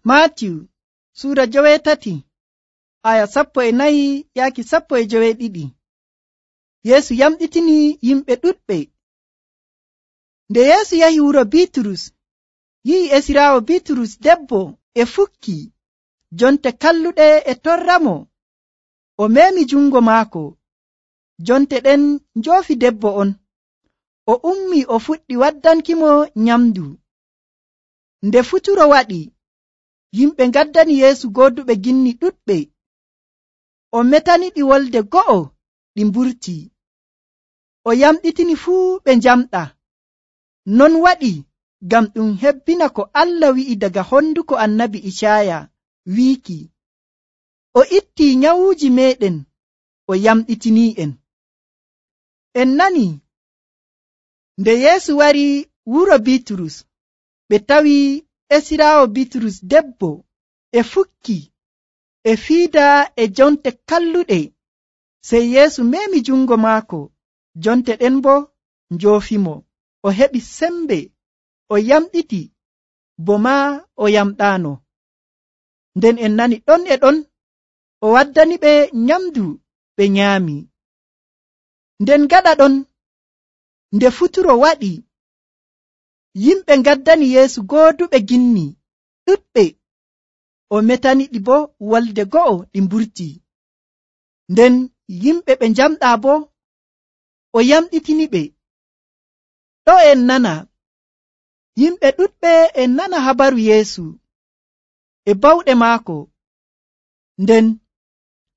Maatiyu suura 8 aya 14 yaaki 12. Yeesu yamɗitini yimɓe ɗuɗɓe. Nde Yeesu yahi wuro Biiturus, yi'i esiraawo Biiturus debbo e fukki jonte kalluɗe e torramo. O meemi jungo maako. Jonte ɗen njoofi debbo on. O ummi o fuɗɗi waddankimo nyamdu. Nde futuro waɗi, yimɓe ngaddani Yeesu gooduɓe ginni ɗuɗɓe. O metaniɗi wolde go'o ɗi mburti. O yamɗitini fuu ɓe njamɗa. Non waɗi ngam ɗum hebbina ko Allah wi'i daga honduko annabi Icaya wiiki, o ittii nyawuuji meɗen, o yamɗitini'en. En nani, nde Yeesu wari wuro Biiturus, ɓe tawi esiraawo Biiturus debbo e fukki e fiida e jonte kalluɗe. Sey Yeesu meemi jungo maako, jonte ɗen bo njoofimo. O heɓi sembe, o yamɗiti, bo maa o yamɗaano. Nden en nani ɗon e ɗon o waddani ɓe nyamdu ɓe nyaami. Nden gaɗa ɗon, nde futuro waɗi, yimɓe ngaddani Yeesu gooduɓe ginni ɗuɗɓe. O metaniɗi bo wolde go'o ɗi mburti. Nden yimɓe ɓe njamɗaa bo, o yamɗitiniɓe. Ɗo en nana, yimɓe ɗuɗɓe en nana habaru Yeesu e bawɗe maako, nden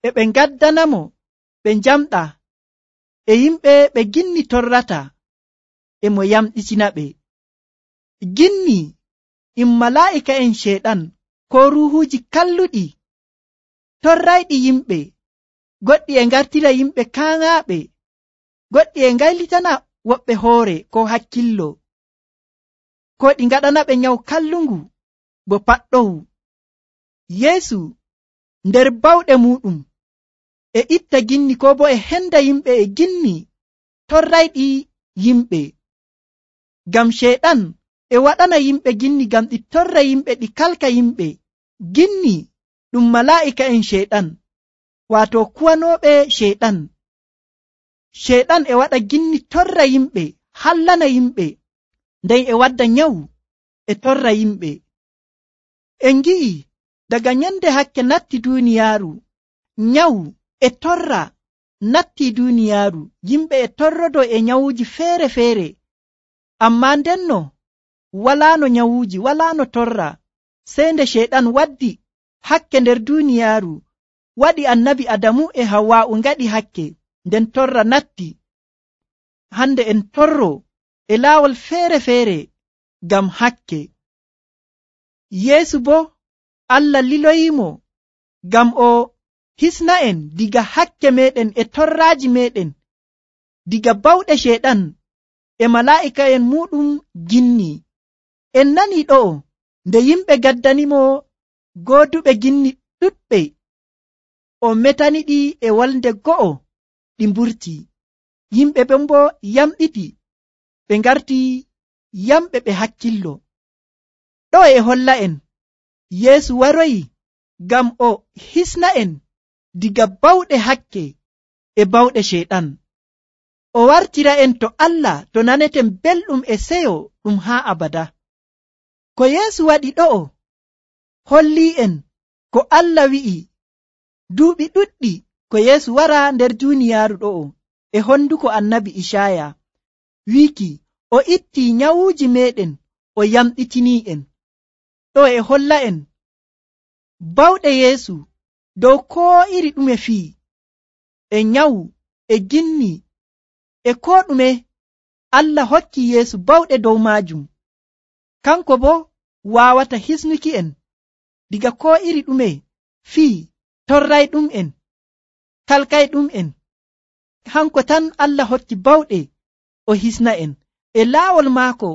e ɓe ngaddanamo ɓe njamɗa, e yimɓe ɓe ginni torrata e mo yamɗitinaɓe. Ginni malaa'ika'en sheeɗan ko ruuhuuji kalluɗi torrayɗi yimɓe. Goɗɗi e ngartira yimɓe kaaŋaaɓe, goɗɗi e ngaylitana woɓɓe hoore ko hakkillo, ko ɗi ngaɗana ɓe nyawu kallungu bo paɗɗowu. Yeesu nder bawɗe muɗum e itta ginni ko bo e henda yimɓe e ginni torrayɗi yimɓe. Ngam sheeɗan e waɗana yimɓe ginni ngam ɗi torra yimɓe, ɗi kalka yimɓe. Ginni ɗum malaa'ika'en sheeɗan, waato kuwanooɓe sheeɗan. Sheeɗan e waɗa ginni torra yimɓe, hallana yimɓe, nden e wadda nyawu e torra yimɓe. En ngi'i daga nyande hakke natti duuniyaaru, nyawu e torra natti duuniyaaru. Yimɓe e torrodo e nyawuuji feere-feere, ammaa ndenno walaano nyawuuji, walaano torra, sey nde sheeɗan waddi hakke nder duuniyaaru, waɗi annabi Adamu e Hawwa'u ngaɗi hakke, nden torra natti. Hande en torro e laawol feere-feere ngam hakke. Yeesu bo Allah liloyimo ngam o hisna en diga hakke meɗen e torraaji meɗen, diga bawɗe sheeɗan e malaa'ika'en muɗum ginni. En nani ɗo'o nde yimɓe gaddanimo gooduɓe ginni ɗuɗɓe, o metaniɗi e wolde go'o ɗi mburti. Yimɓe ɓen bo yamɗiti, ɓe ngarti yamɓe ɓe hakkillo. Ɗo e holla en Yeesu waroyi ngam o hisna en diga bawɗe hakke e bawɗe sheeɗan. O wartira en to Allah, to naneten belɗum e seyo ɗum haa abada. Ko Yeesu waɗi ɗo'o holli en ko Allah wi'i duuɓi ɗuɗɗi ko Yeesu wara nder duuniyaaru ɗo'o e honduko annabi Icaya wiiki, o ittii nyawuuji meɗen, o yamɗitini'en. Ɗo e holla en bawɗe Yeesu dow koo iri ɗume fii, e nyawu e ginni e koo ɗume. Allah hokki Yeesu bawɗe dow maajum. Kanko bo waawata hisnuki en diga koo iri ɗume fii, torray ɗum en, kalkay ɗum en. Hanko tan Allah hokki bawɗe o hisna en. E laawol maako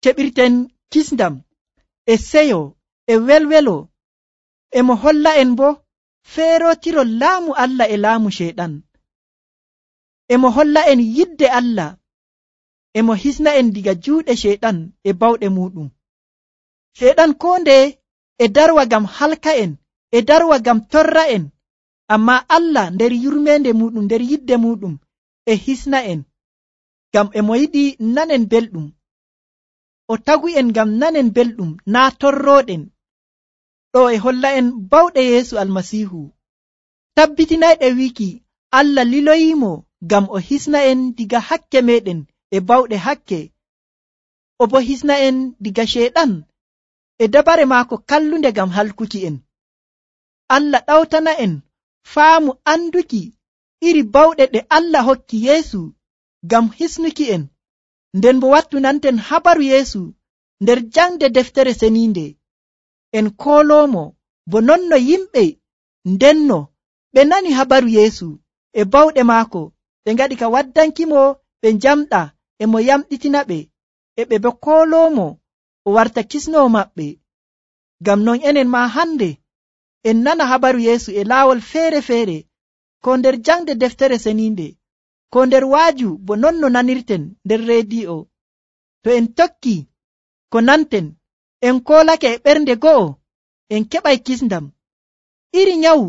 keɓirten kisndam e seyo e welwelo. E mo holla en bo feerotiro laamu Allah e laamu sheeɗan. E mo holla en yidde Allah. E mo hisna en diga juuɗe sheeɗan e bawɗe muɗum. Sheeɗan koo nde e darwa ngam halka en, e darwa ngam torra en, amma Allah nder yurmende muɗum, nder yidde muɗum e hisna en ngam e mo yiɗi nanen belɗum. O tagu en ngam nanen belɗum naa torroɗen. Ɗo e holla en bawɗe Yeesu Almasiihu. Tabbitinayɗe wiiki Allah liloyimo ngam o hisna en diga hakke meɗen e bawɗe hakke, o bo hisna en diga sheeɗan e dabare maako kallunde ngam halkuki en. Allah ɗawtana en faamu anduki iri bawɗe ɗe Allah hokki Yeesu ngam hisnuki en, nden bo wattunanten habaru Yeesu nder jangde deftere seniinde. En kooloomo bo non no yimɓe ndenno ɓe nani habaru Yeesu e bawɗe maako, ɓe ngaɗi ka waddankimo ɓe njamɗa e mo yamɗitina ɓe, e ɓe bo kooloomo o warta kisnowo maɓɓe. Ngam non enen ma hande en nana habaru Yeesu e laawol feere-feere, ko nder jangde deftere seniinde, ko nder waaju bo non no nanirten nder rediyo. To en tokki ko nanten, en koolake e ɓernde go'o, en keɓay kisndam. Iri nyawu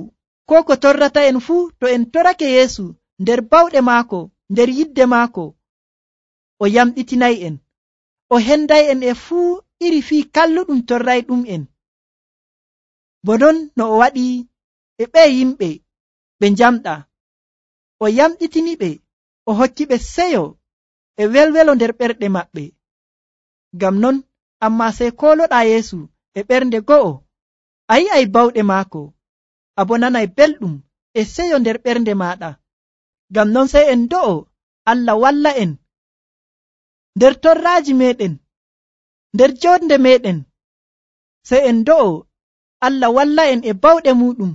ko ko torrata en fuu, to en torake Yeesu nder bawɗe maako, nder yidde maako, o yamɗitinay en, o henday en e fuu iri fii kalluɗum torrayɗum en. Bo non no o waɗi e ɓe yimɓe ɓe njamɗa, o yamɗitiniɓe, o hokkiɓe seyo e welwelo nder ɓerɗe maɓɓe. Ngam non amma sey kooloɗaa Yeesu e ɓernde go'o, a yi'ay bawɗe maako, a bo nanay belɗum e seyo nder ɓernde maaɗa. Ngam non sey en do'o Allah walla en nder torraaji meɗen, nder jonde meɗen, sey en do'o Allah walla en e bawɗe muɗum,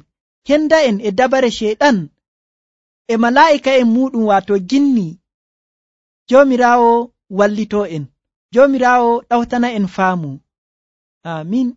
henda en e dabare sheeɗan e malaa'ika'en muɗum, waato ginni. Joomiraawo wallitoo en, Joomiraawo ɗawtana en faamu. Aamin.